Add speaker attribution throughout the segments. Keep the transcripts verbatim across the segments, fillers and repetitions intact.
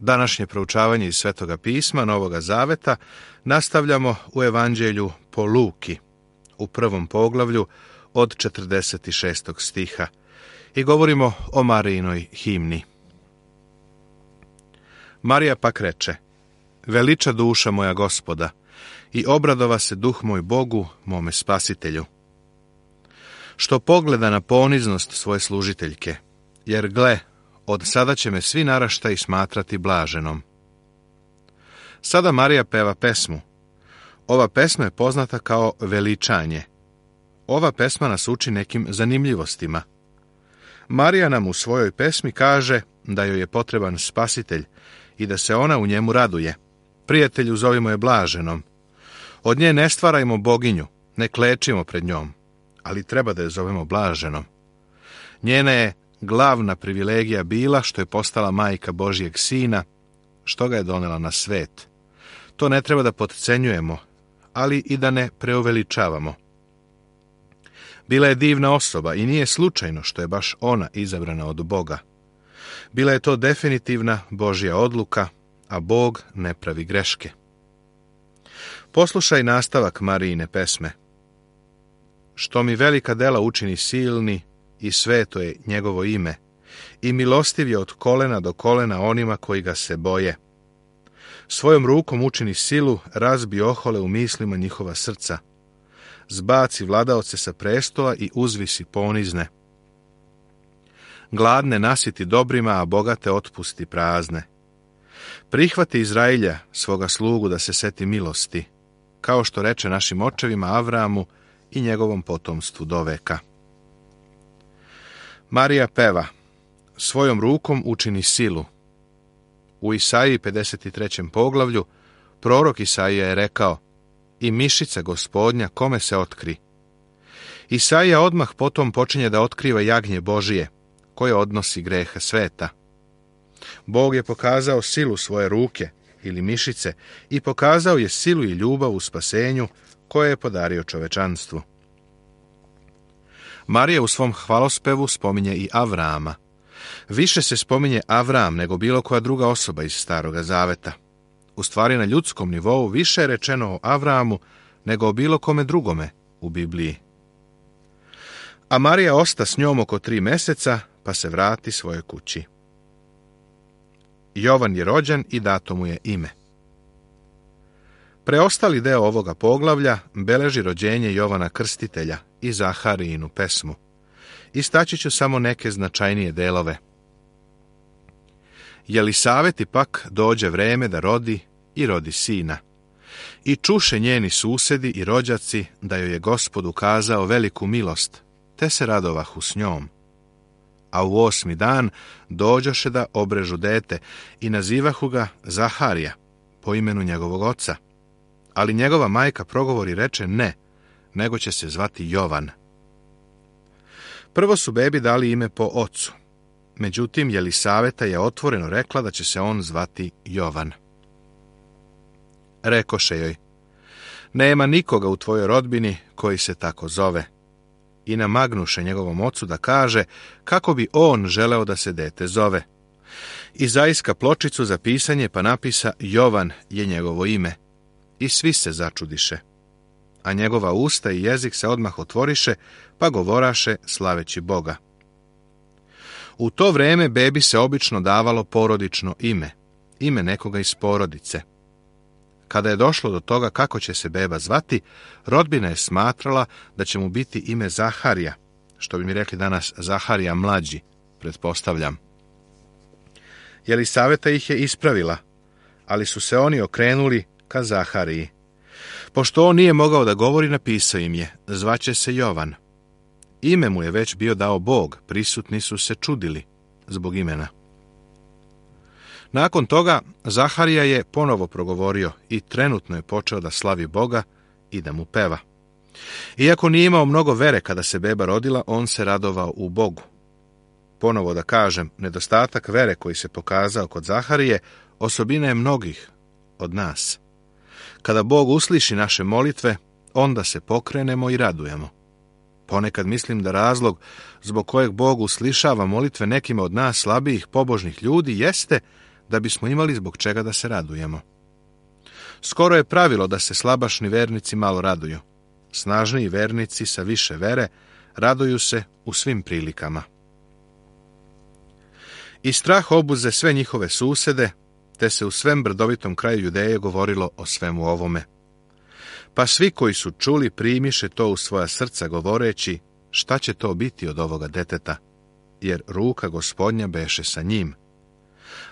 Speaker 1: Današnje proučavanje iz Svetoga pisma, Novoga Zaveta, nastavljamo u Evanđelju po Luki, u prvom poglavlju od četrdeset šestog stiha i govorimo o Marijinoj himni. Marija pak reče: Veliča duša moja Gospoda i obradova se duh moj Bogu, mome spasitelju, što pogleda na poniznost svoje služiteljke, jer gle, od sada će me svi naraštaji smatrati blaženom. Sada Marija peva pesmu. Ova pesma je poznata kao veličanje. Ova pesma nas uči nekim zanimljivostima. Marija nam u svojoj pesmi kaže da joj je potreban spasitelj i da se ona u njemu raduje. Prijatelju, zovimo je blaženom. Od nje ne stvarajmo boginju, ne klečimo pred njom, ali treba da je zovemo blaženom. Njena je glavna privilegija bila što je postala majka Božjeg Sina, što ga je donela na svet. To ne treba da potcenjujemo, ali i da ne preuveličavamo. Bila je divna osoba i nije slučajno što je baš ona izabrana od Boga. Bila je to definitivna Božja odluka, a Bog ne pravi greške. Poslušaj nastavak Marijine pesme. Što mi velika dela učini silni i sveto je njegovo ime, i milostiv je od kolena do kolena onima koji ga se boje. Svojom rukom učini silu, razbi ohole u mislima njihova srca. Zbaci vladaoce sa prestola i uzvisi ponizne. Gladne nasiti dobrima, a bogate otpusti prazne. Prihvati Izrailja, svoga slugu, da se seti milosti, kao što reče našim očevima Avramu i njegovom potomstvu do veka. Marija peva: svojom rukom učini silu. U Isaiji pedeset trećem poglavlju prorok Isaija je rekao: i mišica Gospodnja kome se otkri. Isaija odmah potom počinje da otkriva jagnje Božije, koje odnosi grehe sveta. Bog je pokazao silu svoje ruke ili mišice i pokazao je silu i ljubav u spasenju koje je podario čovečanstvu. Marija u svom hvalospevu spominje i Avrama. Više se spominje Avram nego bilo koja druga osoba iz Staroga Zaveta. U stvari, na ljudskom nivou više je rečeno o Avramu nego o bilo kome drugome u Bibliji. A Marija osta s njom oko tri meseca, pa se vrati svojoj kući. Jovan je rođen i dato mu je ime. Preostali deo ovoga poglavlja beleži rođenje Jovana Krstitelja i Zaharijinu pesmu. Istaći ću samo neke značajnije delove. Jelisaveti pak dođe vreme da rodi i rodi sina. I čuše njeni susedi i rođaci da joj je Gospod ukazao veliku milost, te se radovahu s njom. A u osmi dan dođoše da obrežu dete i nazivahu ga Zaharija, po imenu njegovog oca. Ali njegova majka progovori reče ne, nego će se zvati Jovan. Prvo su bebi dali ime po ocu. Međutim, Jelisaveta je otvoreno rekla da će se on zvati Jovan. Rekoše joj: nema nikoga u tvojoj rodbini koji se tako zove. I namagnuše njegovom ocu da kaže kako bi on želeo da se dete zove. I zaiska pločicu za pisanje, pa napisa Jovan je njegovo ime. I svi se začudiše. A njegova usta i jezik se odmah otvoriše, pa govoraše slaveći Boga. U to vreme bebi se obično davalo porodično ime, ime nekoga iz porodice. Kada je došlo do toga kako će se beba zvati, rodbina je smatrala da će mu biti ime Zaharija, što bi mi rekli danas Zaharija mlađi, pretpostavljam. Jelisaveta ih je ispravila, ali su se oni okrenuli ka Zahariji. Pošto on nije mogao da govori, napisao im je: zvaće se Jovan. Ime mu je već bio dao Bog, prisutni su se čudili zbog imena. Nakon toga Zaharija je ponovo progovorio i trenutno je počeo da slavi Boga i da mu peva. Iako nije imao mnogo vere kada se beba rodila, on se radovao u Bogu. Ponovo da kažem, nedostatak vere koji se pokazao kod Zaharije osobina je mnogih od nas. Kada Bog usliši naše molitve, onda se pokrenemo i radujemo. Ponekad mislim da razlog zbog kojeg Bog uslišava molitve nekima od nas slabijih pobožnih ljudi jeste da bismo imali zbog čega da se radujemo. Skoro je pravilo da se slabašni vernici malo raduju. Snažniji vernici sa više vere raduju se u svim prilikama. I strah obuze sve njihove susede, te se u svem brdovitom kraju Judeje govorilo o svemu ovome. Pa svi koji su čuli primiše to u svoja srca govoreći, šta će to biti od ovoga deteta, jer ruka Gospodnja beše sa njim.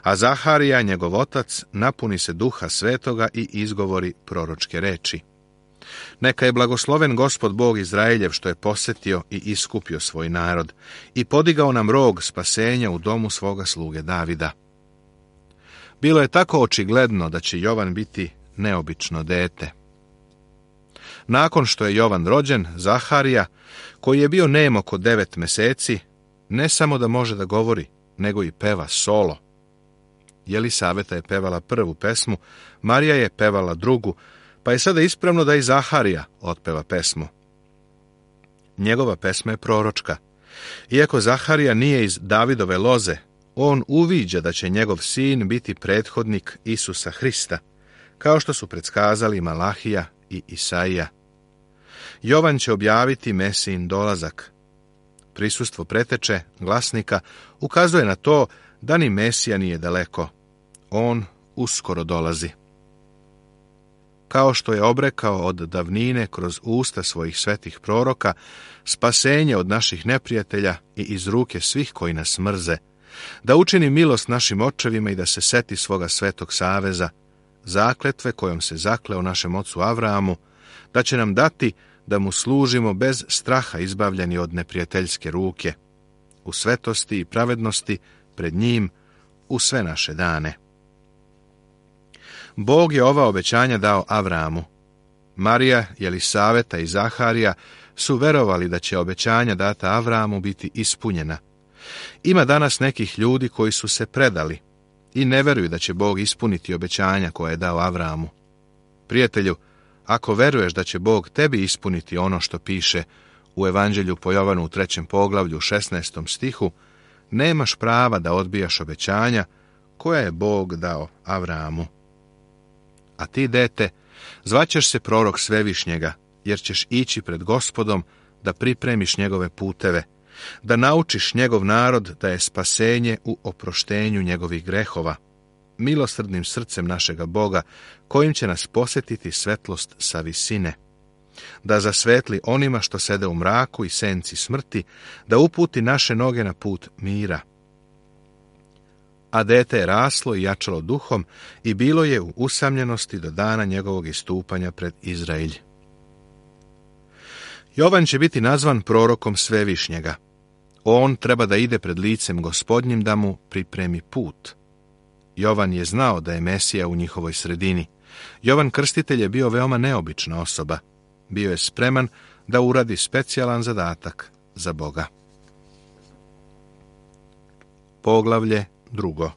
Speaker 1: A Zaharija, njegov otac, napuni se duha svetoga i izgovori proročke reči. Neka je blagosloven Gospod Bog Izraeljev što je posjetio i iskupio svoj narod i podigao nam rog spasenja u domu svoga sluge Davida. Bilo je tako očigledno da će Jovan biti neobično dete. Nakon što je Jovan rođen, Zaharija, koji je bio nem oko devet meseci, ne samo da može da govori, nego i peva solo. Jelisaveta je pevala prvu pesmu, Marija je pevala drugu, pa je sada ispravno da i Zaharija otpeva pesmu. Njegova pesma je proročka. Iako Zaharija nije iz Davidove loze, on uviđa da će njegov sin biti prethodnik Isusa Hrista, kao što su predskazali Malahija i Isaija. Jovan će objaviti Mesijin dolazak. Prisustvo preteče, glasnika, ukazuje na to da ni Mesija nije daleko. On uskoro dolazi. Kao što je obrekao od davnine kroz usta svojih svetih proroka, spasenje od naših neprijatelja i iz ruke svih koji nas mrze, da učini milost našim očevima i da se seti svoga svetog saveza, zakletve kojom se zakleo našem ocu Avramu, da će nam dati da mu služimo bez straha izbavljeni od neprijateljske ruke, u svetosti i pravednosti pred njim u sve naše dane. Bog je ova obećanja dao Avramu. Marija, Jelisaveta i Zaharija su verovali da će obećanja data Avramu biti ispunjena. Ima danas nekih ljudi koji su se predali i ne veruju da će Bog ispuniti obećanja koje je dao Avramu. Prijatelju, ako veruješ da će Bog tebi ispuniti ono što piše u Evanđelju po Jovanu u trećem poglavlju u šesnaestom stihu, nemaš prava da odbijaš obećanja koja je Bog dao Avramu. A ti, dete, zvaćeš se prorok Svevišnjega, jer ćeš ići pred Gospodom da pripremiš njegove puteve, da naučiš njegov narod da je spasenje u oproštenju njegovih grehova, milosrdnim srcem našega Boga, kojim će nas posjetiti svetlost sa visine, da zasvetli onima što sede u mraku i senci smrti, da uputi naše noge na put mira. A dete je raslo i jačalo duhom i bilo je u usamljenosti do dana njegovog istupanja pred Izraelj. Jovan će biti nazvan prorokom Svevišnjega. On treba da ide pred licem Gospodnjim da mu pripremi put. Jovan je znao da je Mesija u njihovoj sredini. Jovan Krstitelj je bio veoma neobična osoba. Bio je spreman da uradi specijalan zadatak za Boga. Poglavlje drugo.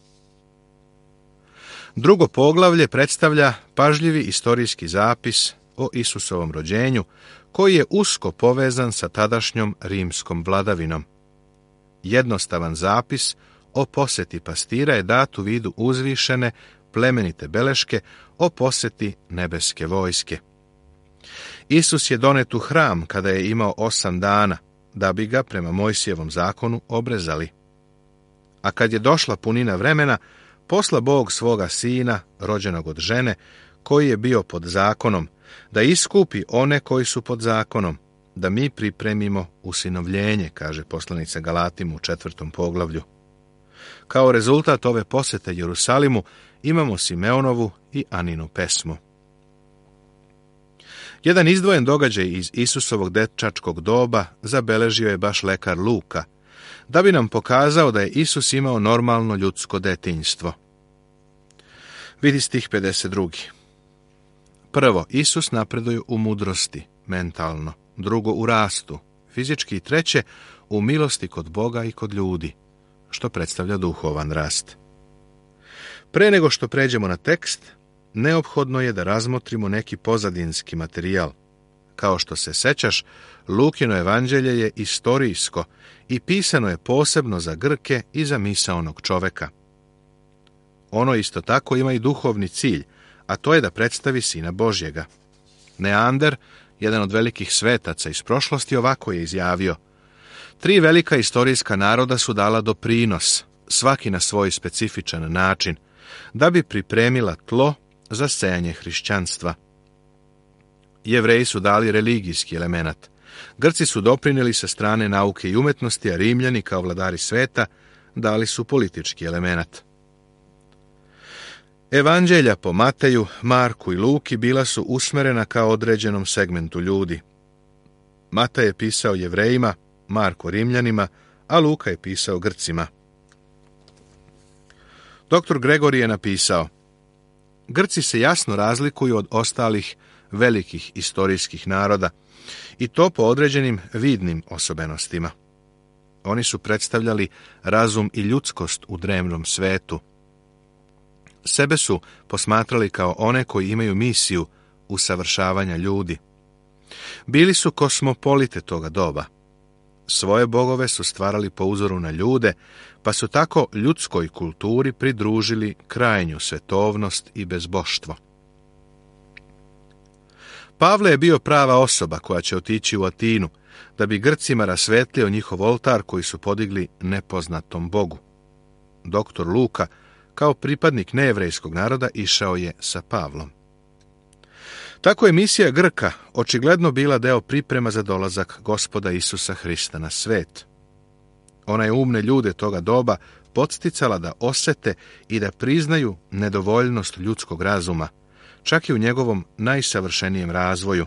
Speaker 1: Drugo poglavlje predstavlja pažljivi istorijski zapis o Isusovom rođenju, koji je usko povezan sa tadašnjom rimskom vladavinom. Jednostavan zapis o posjeti pastira je dat u vidu uzvišene, plemenite beleške o posjeti nebeske vojske. Isus je donet u hram kada je imao osam dana, da bi ga prema Mojsijevom zakonu obrezali. A kad je došla punina vremena, posla Bog svoga sina, rođenog od žene, koji je bio pod zakonom, da iskupi one koji su pod zakonom, da mi pripremimo usinovljenje, kaže poslanica Galatimu u četvrtom poglavlju. Kao rezultat ove posjete Jerusalimu imamo Simeonovu i Aninu pesmu. Jedan izdvojen događaj iz Isusovog dečačkog doba zabeležio je baš lekar Luka, da bi nam pokazao da je Isus imao normalno ljudsko detinjstvo. Vidi stih pedeset drugi. Prvo, Isus napreduje u mudrosti, mentalno. Drugo, u rastu, fizički. I treće, u milosti kod Boga i kod ljudi, što predstavlja duhovan rast. Pre nego što pređemo na tekst, neophodno je da razmotrimo neki pozadinski materijal. Kao što se sećaš, Lukino evanđelje je istorijsko i pisano je posebno za Grke i za misaonog čoveka. Ono isto tako ima i duhovni cilj, a to je da predstavi Sina Božjega. Neander, jedan od velikih svetaca iz prošlosti, ovako je izjavio: tri velika istorijska naroda su dala doprinos, svaki na svoj specifičan način, da bi pripremila tlo za sejanje hrišćanstva. Jevreji su dali religijski element, Grci su doprinijeli sa strane nauke i umetnosti, a Rimljani, kao vladari sveta, dali su politički element. Evanđelja po Mateju, Marku i Luki bila su usmerena kao određenom segmentu ljudi. Matej je pisao Jevrejima, Marko Rimljanima, a Luka je pisao Grcima. Doktor Gregorij je napisao: Grci se jasno razlikuju od ostalih velikih istorijskih naroda, i to po određenim vidnim osobenostima. Oni su predstavljali razum i ljudskost u drevnom svetu. Sebe su posmatrali kao one koji imaju misiju usavršavanja ljudi. Bili su kosmopolite toga doba. Svoje bogove su stvarali po uzoru na ljude, pa su tako ljudskoj kulturi pridružili krajnju svetovnost i bezboštvo. Pavle je bio prava osoba koja će otići u Atinu, da bi Grcima rasvetlio njihov oltar koji su podigli nepoznatom Bogu. Doktor Luka, kao pripadnik nejevrejskog naroda, išao je sa Pavlom. Tako je misija Grka očigledno bila deo priprema za dolazak Gospoda Isusa Hrista na svet. Ona je umne ljude toga doba podsticala da osete i da priznaju nedovoljnost ljudskog razuma, čak i u njegovom najsavršenijem razvoju.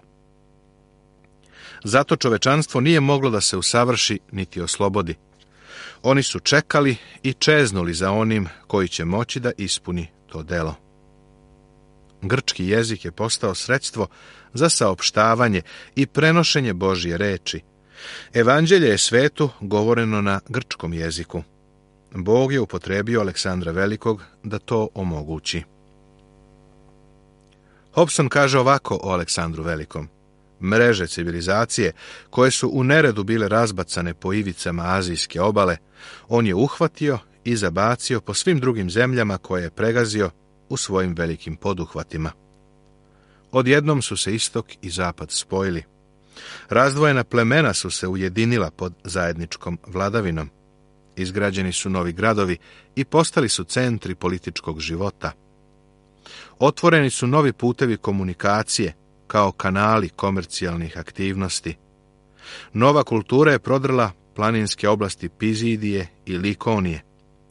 Speaker 1: Zato čovečanstvo nije moglo da se usavrši niti oslobodi. Oni su čekali i čeznuli za onim koji će moći da ispuni to delo. Grčki jezik je postao sredstvo za saopštavanje i prenošenje Božje reči. Evanđelje je svetu govoreno na grčkom jeziku. Bog je upotrebio Aleksandra Velikog da to omogući. Hobson kaže ovako o Aleksandru Velikom: mreže civilizacije, koje su u neredu bile razbacane po ivicama azijske obale, on je uhvatio i zabacio po svim drugim zemljama koje je pregazio u svojim velikim poduhvatima. Odjednom su se istok i zapad spojili. Razdvojena plemena su se ujedinila pod zajedničkom vladavinom. Izgrađeni su novi gradovi i postali su centri političkog života. Otvoreni su novi putevi komunikacije, kao kanali komercijalnih aktivnosti. Nova kultura je prodrla planinske oblasti Pizidije i Likonije.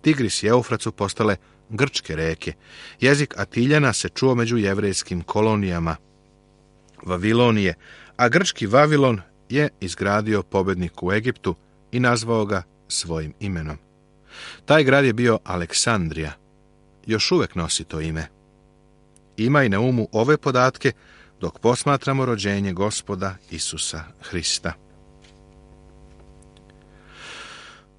Speaker 1: Tigris i Eufrat su postale grčke reke. Jezik Atiljana se čuo među jevrejskim kolonijama Vavilonije, a grčki Vavilon je izgradio pobednik u Egiptu i nazvao ga svojim imenom. Taj grad je bio Aleksandrija. Još uvek nosi to ime. Imaj na umu ove podatke dok posmatramo rođenje Gospoda Isusa Hrista.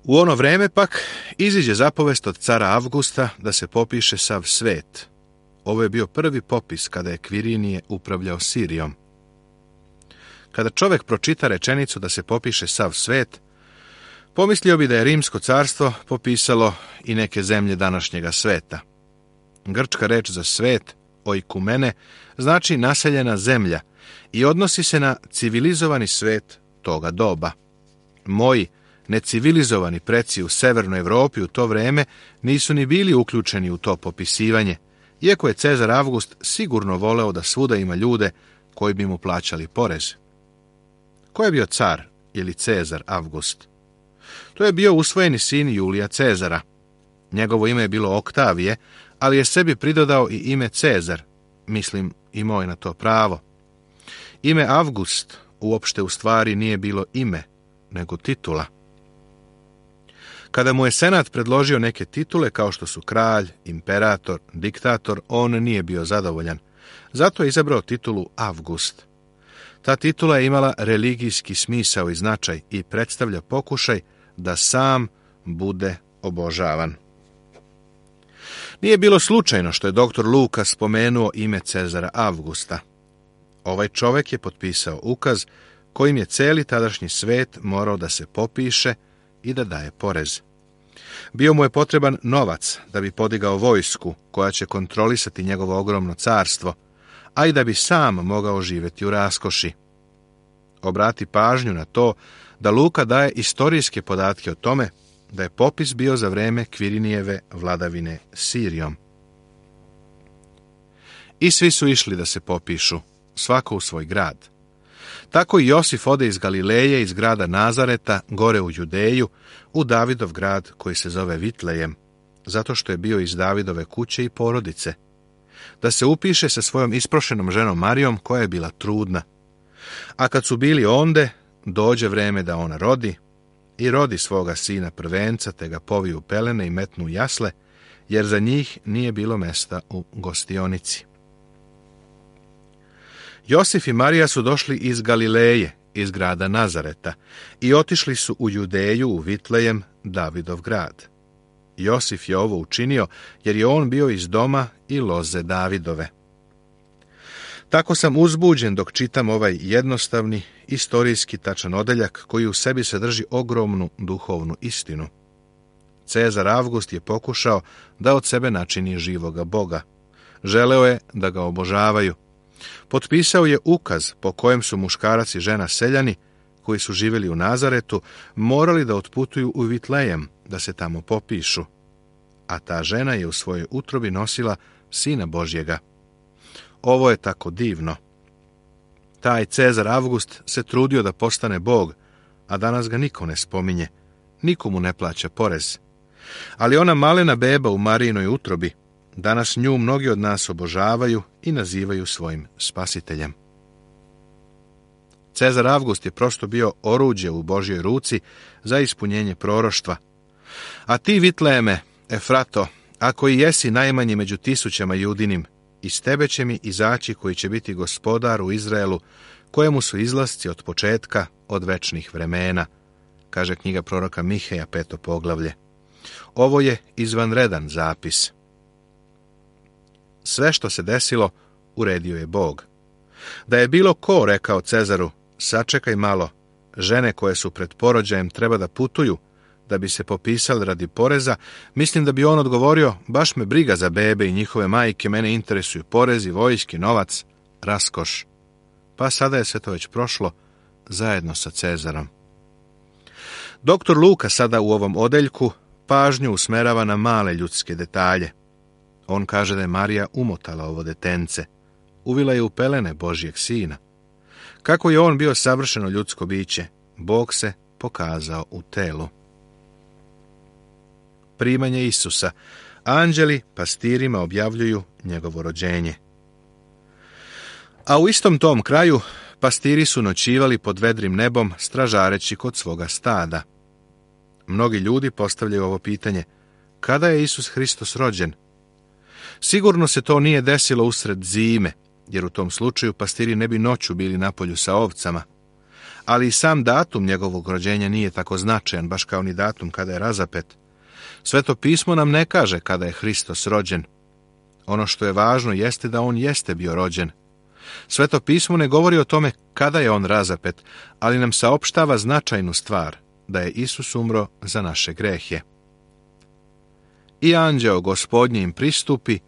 Speaker 1: U ono vreme pak iziđe zapovest od cara Avgusta da se popiše sav svet. Ovo je bio prvi popis kada je Kvirinije upravljao Sirijom. Kada čovjek pročita rečenicu da se popiše sav svet, pomislio bi da je Rimsko carstvo popisalo i neke zemlje današnjega sveta. Grčka reč za svet, oikumene, znači naseljena zemlja i odnosi se na civilizovani svet toga doba. Moji necivilizovani preci u severnoj Evropi u to vreme nisu ni bili uključeni u to popisivanje, iako je Cezar Avgust sigurno voleo da svuda ima ljude koji bi mu plaćali porez. Ko je bio car ili Cezar Avgust? To je bio usvojeni sin Julija Cezara. Njegovo ime je bilo Oktavije, ali je sebi pridodao i ime Cezar, mislim, imao je na to pravo. Ime Avgust uopšte u stvari nije bilo ime, nego titula. Kada mu je senat predložio neke titule kao što su kralj, imperator, diktator, on nije bio zadovoljan. Zato je izabrao titulu Avgust. Ta titula je imala religijski smisao i značaj i predstavlja pokušaj da sam bude obožavan. Nije bilo slučajno što je doktor Luka spomenuo ime Cezara Avgusta. Ovaj čovjek je potpisao ukaz kojim je cijeli tadašnji svet morao da se popiše i da daje porez. Bio mu je potreban novac da bi podigao vojsku koja će kontrolisati njegovo ogromno carstvo, a i da bi sam mogao živjeti u raskoši. Obrati pažnju na to da Luka daje istorijske podatke o tome da je popis bio za vreme Kvirinijeve vladavine Sirijom. I svi su išli da se popišu, svako u svoj grad. Tako i Josif ode iz Galileje, iz grada Nazareta, gore u Judeju, u Davidov grad koji se zove Vitlejem, zato što je bio iz Davidove kuće i porodice, da se upiše sa svojom isprošenom ženom Marijom, koja je bila trudna. A kad su bili onde, dođe vreme da ona rodi, i rodi svoga sina prvenca, te ga poviju pelene i metnu u jasle, jer za njih nije bilo mesta u gostionici. Josif i Marija su došli iz Galileje, iz grada Nazareta, i otišli su u Judeju, u Vitlejem, Davidov grad. Josif je ovo učinio, jer je on bio iz doma i loze Davidove. Tako sam uzbuđen dok čitam ovaj jednostavni, istorijski tačan odeljak koji u sebi sadrži ogromnu duhovnu istinu. Cezar Avgust je pokušao da od sebe načini živoga Boga. Želeo je da ga obožavaju. Potpisao je ukaz po kojem su muškarac i žena seljani, koji su živjeli u Nazaretu, morali da otputuju u Vitlejem, da se tamo popišu. A ta žena je u svojoj utrobi nosila Sina Božjega. Ovo je tako divno. Taj Cezar Avgust se trudio da postane Bog, a danas ga niko ne spominje, niko mu ne plaća porez. Ali ona malena beba u Marijinoj utrobi, danas nju mnogi od nas obožavaju i nazivaju svojim spasiteljem. Cezar Avgust je prosto bio oruđe u Božjoj ruci za ispunjenje proroštva. A ti, Vitlejeme, Efrato, ako i jesi najmanji među tisućama judinim, iz tebe će mi izaći koji će biti gospodar u Izraelu, kojemu su izlasci od početka, od večnih vremena, kaže knjiga proroka Miheja, peto poglavlje. Ovo je izvanredan zapis. Sve što se desilo, uredio je Bog. Da je bilo ko rekao Cezaru, sačekaj malo, žene koje su pred porođajem treba da putuju, da bi se popisali radi poreza, mislim da bi on odgovorio, baš me briga za bebe i njihove majke, mene interesuju porezi, vojski, novac, raskoš. Pa sada je sve to već prošlo, zajedno sa Cezarom. Doktor Luka sada u ovom odeljku pažnju usmerava na male ljudske detalje. On kaže da je Marija umotala ovo detence, uvila je u pelene Božjeg sina. Kako je on bio savršeno ljudsko biće, Bog se pokazao u telu. Primanje Isusa. Anđeli pastirima objavljuju njegovo rođenje. A u istom tom kraju pastiri su noćivali pod vedrim nebom, stražareći kod svoga stada. Mnogi ljudi postavljaju ovo pitanje: kada je Isus Hristos rođen? Sigurno se to nije desilo usred zime, jer u tom slučaju pastiri ne bi noću bili na polju sa ovcama. Ali i sam datum njegovog rođenja nije tako značajan, baš kao ni datum kada je razapet. Sveto pismo nam ne kaže kada je Hristos rođen. Ono što je važno jeste da on jeste bio rođen. Sveto pismo ne govori o tome kada je on razapet, ali nam saopštava značajnu stvar, da je Isus umro za naše grehe. I anđeo Gospodnji im pristupi,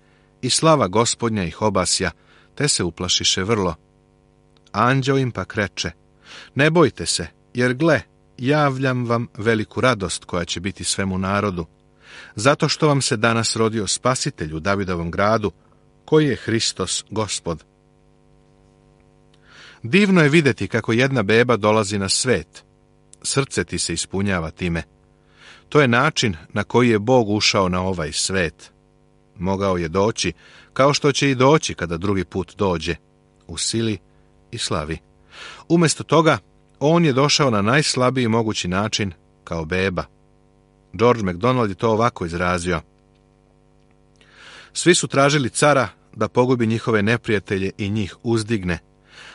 Speaker 1: i slava Gospodnja ih obasja, te se uplašiše vrlo. Anđeo im pak reče: ne bojte se, jer gle, javljam vam veliku radost koja će biti svemu narodu, zato što vam se danas rodio Spasitelj u Davidovom gradu, koji je Hristos Gospod. Divno je vidjeti kako jedna beba dolazi na svet. Srce ti se ispunjava time. To je način na koji je Bog ušao na ovaj svet. Mogao je doći, kao što će i doći kada drugi put dođe, u sili i slavi. Umjesto toga, on je došao na najslabiji mogući način, kao beba. George MacDonald je to ovako izrazio: svi su tražili cara da pogubi njihove neprijatelje i njih uzdigne,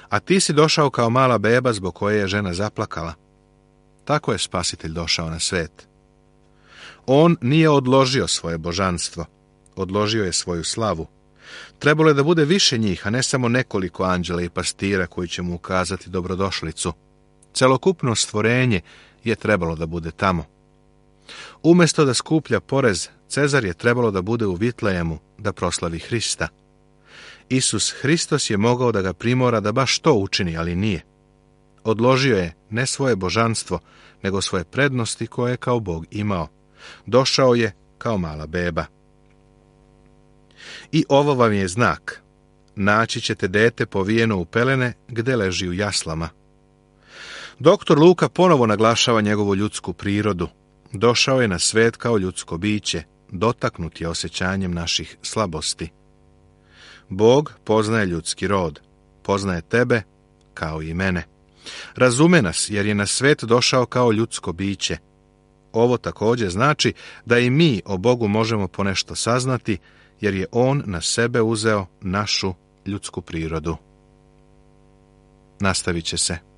Speaker 1: a ti si došao kao mala beba zbog koje je žena zaplakala. Tako je Spasitelj došao na svet. On nije odložio svoje božanstvo, odložio je svoju slavu. Trebalo je da bude više njih, a ne samo nekoliko anđela i pastira koji će mu ukazati dobrodošlicu. Celokupno stvorenje je trebalo da bude tamo. Umjesto da skuplja porez, Cezar je trebalo da bude u Vitlejemu da proslavi Hrista. Isus Hristos je mogao da ga primora da baš to učini, ali nije. Odložio je ne svoje božanstvo, nego svoje prednosti koje je kao Bog imao. Došao je kao mala beba. I ovo vam je znak. Naći ćete dete povijeno u pelene gde leži u jaslama. Doktor Luka ponovo naglašava njegovu ljudsku prirodu. Došao je na svet kao ljudsko biće, dotaknut je osjećanjem naših slabosti. Bog poznaje ljudski rod, poznaje tebe kao i mene. Razume nas jer je na svet došao kao ljudsko biće. Ovo također znači da i mi o Bogu možemo ponešto saznati, jer je On na sebe uzeo našu ljudsku prirodu. Nastavit će se.